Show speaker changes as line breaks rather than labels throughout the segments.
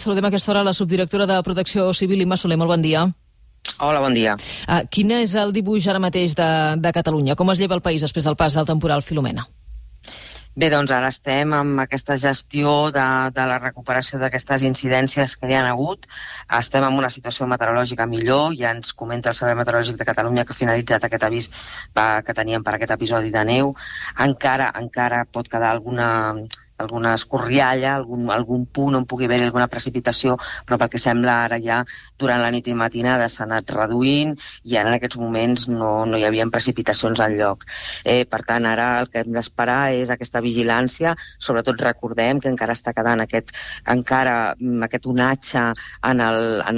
saludem a aquesta hora la subdirectora de Protecció Civil, Imma Soler. Molt bon dia.
Hola, bon dia.
Quin és el dibuix ara mateix de Catalunya? Com es lleva el país després del pas del temporal Filomena?
Bé, doncs ara estem amb aquesta gestió de la recuperació d'aquestes incidències que hi ha hagut. Estem en una situació meteorològica millor. Ja ens comenta el Servei Meteorològic de Catalunya que ha finalitzat aquest avís que teníem per aquest episodi de neu. Encara pot quedar alguna escorrialla, algun punt on pugui haver alguna precipitació, però pel que sembla ara ja durant la nit i matinada s'ha anat reduint i ara en aquests moments no hi havia precipitacions enlloc. Per tant, ara el que hem d'esperar és aquesta vigilància. Sobretot recordem que encara està quedant aquest onatge en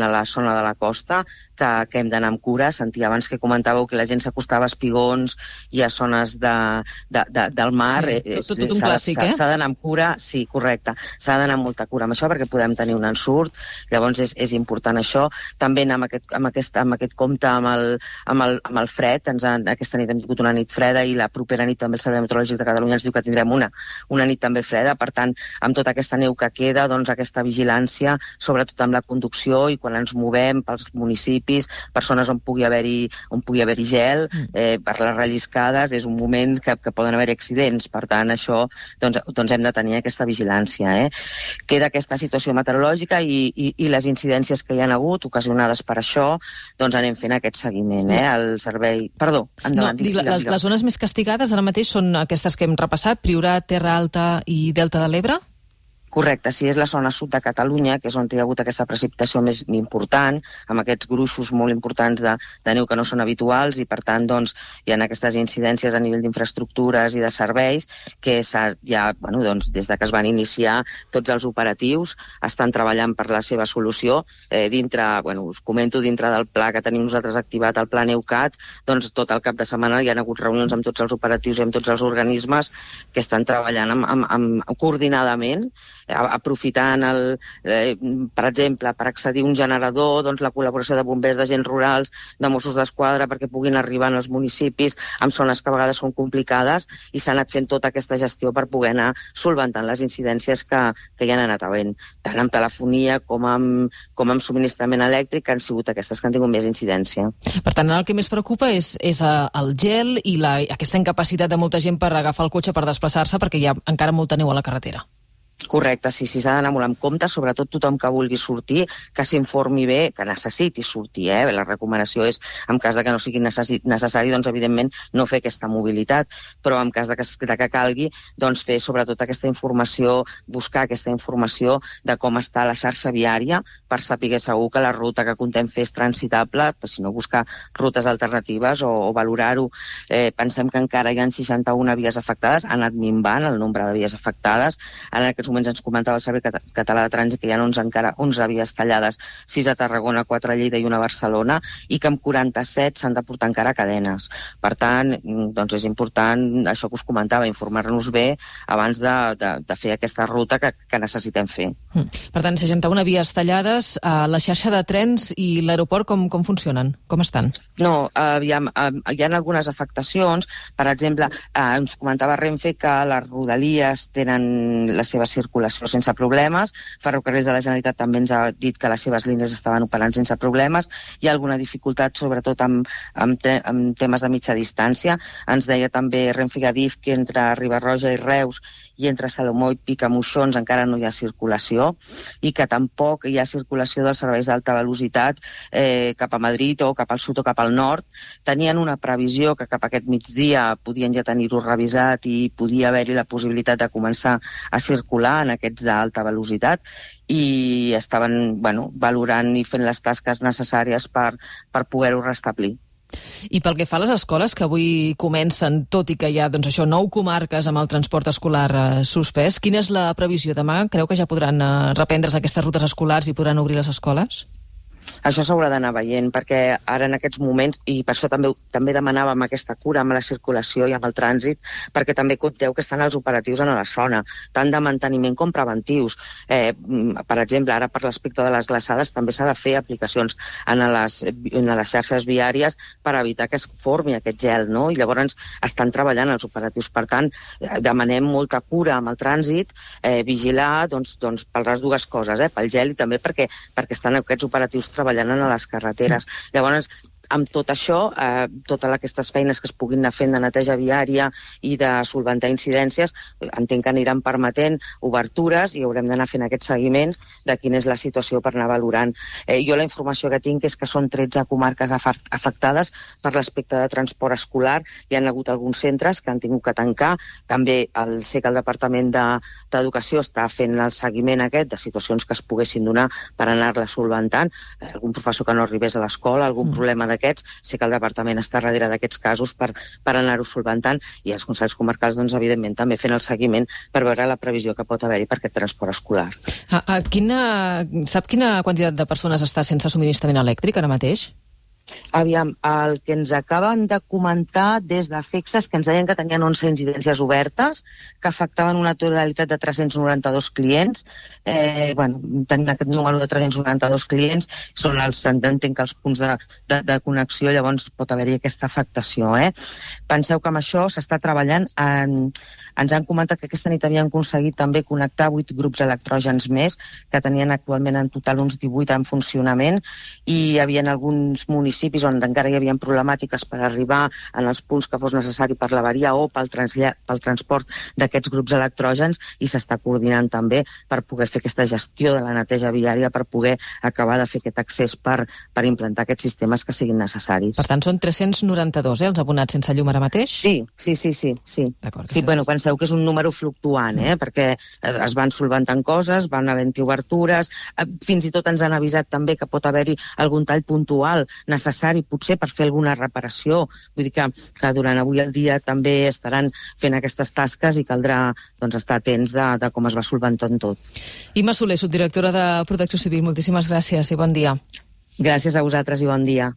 la zona de la costa que hem d'anar amb cura. Sentia abans que comentàveu que la gent s'acostava a espigons i a zones del mar.
Sí, tot un clàssic,
S'ha d'anar amb cura. Sí, correcte. S'ha d'anar amb molta cura amb això perquè podem tenir un ensurt. Llavors és important això. També anar amb aquest compte amb el fred. Aquesta nit hem tingut una nit freda i la propera nit també el Servei Meteorològic de Catalunya ens diu que tindrem una nit també freda. Per tant, amb tota aquesta neu que queda, doncs aquesta vigilància, sobretot amb la conducció i quan ens movem pels municipis, per zones on pugui haver-hi gel, per les relliscades, és un moment que poden haver accidents. Per tant, això doncs hem de tenir aquesta vigilància. Queda aquesta situació meteorològica i les incidències que hi ha hagut ocasionades per això, doncs anem fent aquest seguiment. El servei... Perdó, endavant.
Les zones més castigades ara mateix són aquestes que hem repassat, Priorat, Terra Alta i Delta de l'Ebre?
Correcte, si és la zona sud de Catalunya, que és on hi ha hagut aquesta precipitació més important, amb aquests gruixos molt importants de neu que no són habituals i, per tant, doncs, hi ha aquestes incidències a nivell d'infraestructures i de serveis que des de que es van iniciar tots els operatius estan treballant per la seva solució. Us comento, dintre del pla que tenim nosaltres activat, el pla NeuCat, doncs tot el cap de setmana hi ha hagut reunions amb tots els operatius i amb tots els organismes que estan treballant coordinadament, aprofitant, per exemple, per accedir a un generador, doncs la col·laboració de bombers, d'agents rurals, de Mossos d'Esquadra, perquè puguin arribar als municipis en zones que a vegades són complicades, i s'ha anat fent tota aquesta gestió per poder anar solventant les incidències que hi han anat havent, tant amb telefonia com amb subministrament elèctric, que han sigut aquestes que han tingut més incidència.
Per tant, el que més preocupa és el gel i aquesta incapacitat de molta gent per agafar el cotxe per desplaçar-se perquè hi ha encara molta neu a la carretera.
Correcte, sí, s'ha d'anar molt amb compte, sobretot tothom que vulgui sortir, que s'informi bé, que necessiti sortir. La recomanació és, en cas de que no sigui necessari, doncs, evidentment, no fer aquesta mobilitat, però en cas de que calgui, doncs, fer sobretot aquesta informació, buscar aquesta informació de com està la xarxa viària per saber segur que la ruta que contem fer és transitable, però si no, buscar rutes alternatives o valorar-ho. Pensem que encara hi ha 61 vies afectades, ha anat minvant el nombre de vies afectades. En aquests moments ens comentava el Servei Català de Trànsit que hi ha encara 11 vies tallades, 6 a Tarragona, 4 a Lleida i 1 a Barcelona, i que amb 47 s'han de portar encara cadenes. Per tant, doncs és important, això que us comentava, informar-nos bé abans de fer aquesta ruta que necessitem fer.
Per tant, 61 vies tallades. La xarxa de trens i l'aeroport com funcionen? Com estan?
No, hi ha algunes afectacions. Per exemple, ens comentava Renfe que les Rodalies tenen la seva circulació sense problemes. Ferrocarrils de la Generalitat també ens ha dit que les seves línies estaven operant sense problemes. Hi ha alguna dificultat, sobretot amb temes de mitja distància. Ens deia també Renfe i Adif que entre Riba-roja i Reus i entre Salomó i Picamoixons encara no hi ha circulació i que tampoc hi ha circulació dels serveis d'alta velocitat cap a Madrid o cap al sud o cap al nord. Tenien una previsió que cap a aquest migdia podien ja tenir-ho revisat i podia haver-hi la possibilitat de començar a circular en aquests d'alta velocitat i estaven valorant i fent les tasques necessàries per poder-ho restablir.
I pel que fa a les escoles que avui comencen, tot i que hi ha 9 comarques amb el transport escolar suspès, quina és la previsió demà? Creu que ja podran reprendre's aquestes rutes escolars i podran obrir les escoles?
Això s'haurà d'anar veient, perquè ara en aquests moments, i per això també demanàvem aquesta cura amb la circulació i amb el trànsit, perquè també compteu que estan els operatius en la zona, tant de manteniment com preventius. Per exemple, ara per l'aspecte de les glaçades també s'ha de fer aplicacions en les xarxes viàries per evitar que es formi aquest gel, no? I llavors estan treballant els operatius. Per tant, demanem molta cura amb el trànsit, vigilar doncs, per les dues coses, pel gel i també perquè estan aquests operatius treballant en les carreteres. Llavors, amb tot això, totes aquestes feines que es puguin anar fent de neteja viària i de solventar incidències, entenc que aniran permetent obertures i haurem d'anar fent aquests seguiments de quina és la situació per anar valorant. Jo la informació que tinc és que són 13 comarques afectades per l'aspecte de transport escolar. Hi ha hagut alguns centres que han tingut que tancar. També sé que el Departament d'Educació està fent el seguiment aquest de situacions que es poguessin donar per anar-les solventant. Algun professor que no arribés a l'escola, algun problema d'aquests, sé que el departament està darrere d'aquests casos per anar-ho solventant, i els consells comarcals, doncs, evidentment, també fent el seguiment per veure la previsió que pot haver-hi per aquest transport escolar.
Sap quina quantitat de persones està sense subministrament elèctric ara mateix?
Aviam, el que ens acaben de comentar des de FEXA és que ens deien que tenien 11 incidències obertes, que afectaven una totalitat de 392 clients. Tenim aquest número de 392 clients, són entenc que els punts de connexió, llavors pot haver-hi aquesta afectació. Penseu que amb això s'està treballant ens han comentat que aquesta nit havien aconseguit també connectar 8 grups electrògens més, que tenien actualment en total uns 18 en funcionament, i hi havia alguns municipis on encara hi havia problemàtiques per arribar en els punts que fos necessari per l'avaria o pel transport d'aquests grups electrògens, i s'està coordinant també per poder fer aquesta gestió de la neteja viària, per poder acabar de fer aquest accés per implantar aquests sistemes que siguin necessaris.
Per tant, són 392, els abonats sense llum ara mateix?
Sí.
D'acord.
Sí, penseu que és un número fluctuant, perquè es van solventant coses, van havent-hi obertures, fins i tot ens han avisat també que pot haver-hi algun tall puntual necessari, potser per fer alguna reparació. Vull dir que durant avui el dia també estaran fent aquestes tasques i caldrà estar atents de com es va solventant tot.
Imma Soler, subdirectora de Protecció Civil, moltíssimes gràcies i bon dia.
Gràcies a vosaltres i bon dia.